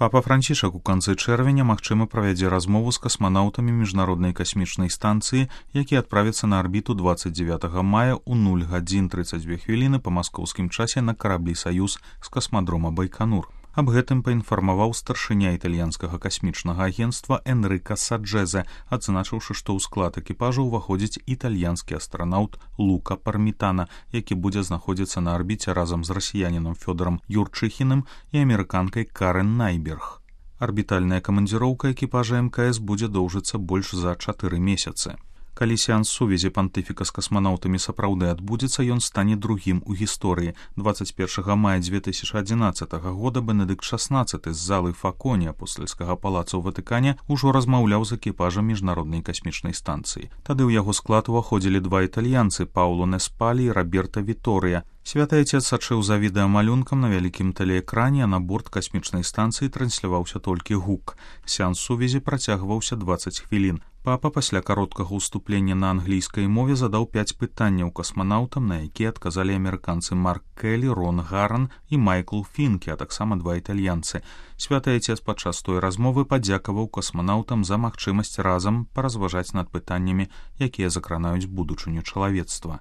Папа Францішак у канцы чэрвеня, магчыма, правядзе размову з касманаўтамі міжнароднай касмічнай станцыі, якія адправяцца на арбіту 29 мая ў 0 гадзін 32 хвіліны па маскоўскім часе на караблі «Саюз» з касмадрома Байканур. Аб гэтым паінфармаваў старшыня італьянскага касмічнага агенцтва Энрыка Саджэзе, адзначыўшы, што ў склад экіпажа ўваходзіць італьянскі астранаўт Лука Пармітана, які будзе знаходзіцца на арбіце разам з расіянінам Фёдорам Юрчыхіным і амерыканкай Карен Найберг. Арбітальная камандзіроўка экіпажа МКС будзе доўжыцца больш за 4 месяцы. Калі сеанс сувязі пантыфіка з касманаўтамі сапраўды адбудзецца, ён стане другім у гісторыі. 21 мая 2011 года Бенедыкт XVI з залы Факоні апостальскага палаца ў Ватыкане ўжо размаўляў з экіпажам міжнароднай касмічнай станцыі. Тады ў яго склад уваходзілі два італьянцы Пауло Неспалі і Роберта Віторыя. Святы Отец сачыў за відэамалюнкам на вялікім тэлеэкране, а на борт касмічнай станцыі трансляваўся толькі гук. Сеанс сувязі працягваўся 20 хвілін. Папа пасля кароткага ўступлення на англійскай мове задаў 5 пытанняў касманаўтам, на якія адказалі амерыканцы Марк Келлі, Рон Гаран і Майкл Фінкі, а таксама два італьянцы. Святы Отец падчас той размовы падзякаваў касманаўтам за магчымасць разам паразважаць над пытаннямі, якія закранаюць будучыню чалавецтва.